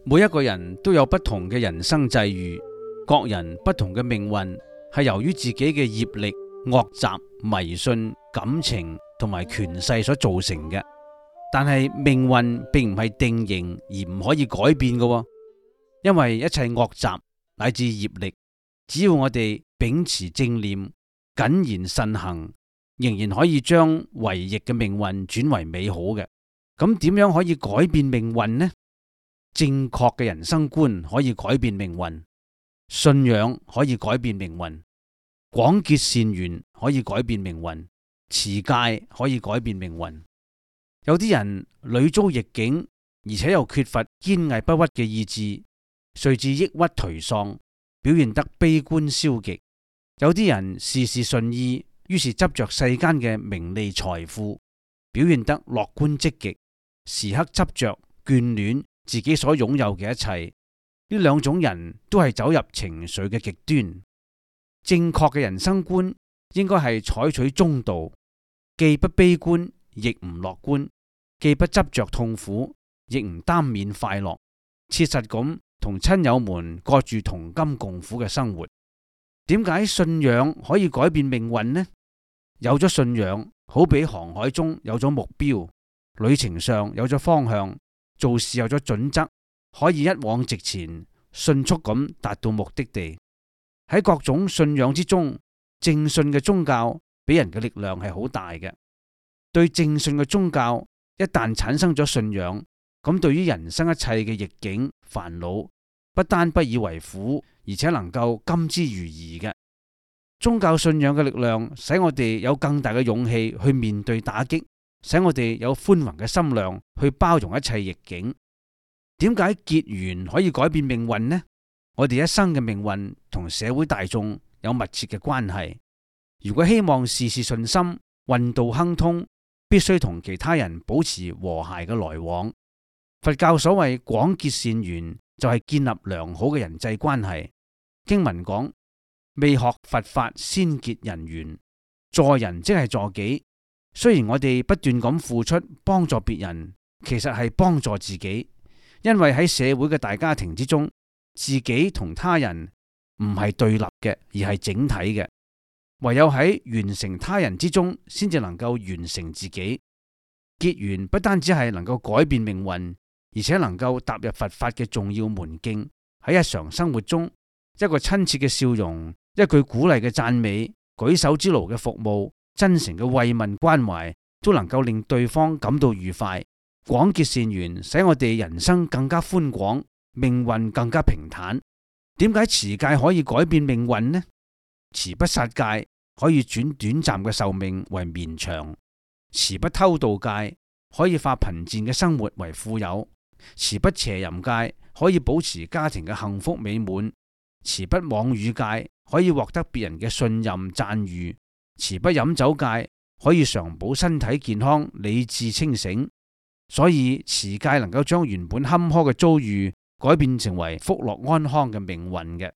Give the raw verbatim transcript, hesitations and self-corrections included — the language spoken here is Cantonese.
每一個人都有不同嘅人生際遇，各人不同嘅命運係由於自己嘅業力、惡習、迷信、感情同埋權勢所造成嘅。但係命運並唔係定型而唔可以改變嘅，因為一切惡習乃至業力，只要我哋秉持正念、謹言慎行，仍然可以將違逆嘅命運轉為美好嘅。咁點樣可以改變命運呢？正確嘅人生觀可以改變命運，信仰可以改變命運，廣結善緣可以改變命運，持戒可以改變命運。有啲人屢遭逆境，而且又缺乏堅毅不屈嘅意志，遂至抑鬱頹喪，表現得悲觀消極。有啲人事事順意，於是執着世間嘅名利財富，表現得樂觀積極，時刻執着眷戀自己所擁有嘅一切。呢兩種人都係走入情緒嘅極端。正確嘅人生觀應該係採取中道，既不悲觀，亦唔樂觀，既不執着痛苦，亦唔耽緬快樂，切實咁同親友們過住同甘共苦嘅生活。點解信仰可以改變命運呢？有咗信仰，好比航海中有咗目標，旅程上有咗方向，做事有咗準則，可以一往直前，迅速咁達到目的地。喺各種信仰之中，正信嘅宗教俾人嘅力量係好大嘅。對正信嘅宗教一旦產生咗信仰，咁對於人生一切嘅逆境煩惱，不單不以為苦，而且能夠甘之如飴嘅。宗教信仰嘅力量使我哋有更大嘅勇氣去面對打擊，使我哋有寬宏嘅心量去包容一切逆境。點解結緣可以改變命運呢？我哋一生嘅命運同社會大眾有密切嘅關係。如果希望事事順心、運道亨通，必須同其他人保持和諧嘅來往。佛教所謂廣結善緣，就係建立良好嘅人際關係。經文講，未學佛法先結人緣，助人即係助己。雖然我哋不斷咁付出幫助別人，其實係幫助自己，因為喺社會嘅大家庭之中，自己同他人唔係對立嘅，而係整體嘅。唯有喺完成他人之中，先至能夠完成自己。結緣不單止係能夠改變命運，而且能夠踏入佛法嘅重要門徑。喺日常生活中，一個親切嘅笑容，一句鼓勵嘅讚美，舉手之勞嘅服務，真誠嘅慰問關懷，都能夠令對方感到愉快。廣結善緣，使我哋人生更加寬廣，命運更加平坦。點解持戒可以改變命運呢？持不殺戒可以轉短暫嘅壽命為綿長，持不偷盜戒可以化貧賤嘅生活為富有，持不邪淫戒可以保持家庭嘅幸福美滿，持不妄語戒可以獲得別人嘅信任讚譽，持不飲酒戒可以常保身體健康、理智清醒。所以持戒能夠將原本坎坷嘅遭遇改變成為福樂安康嘅命運嘅。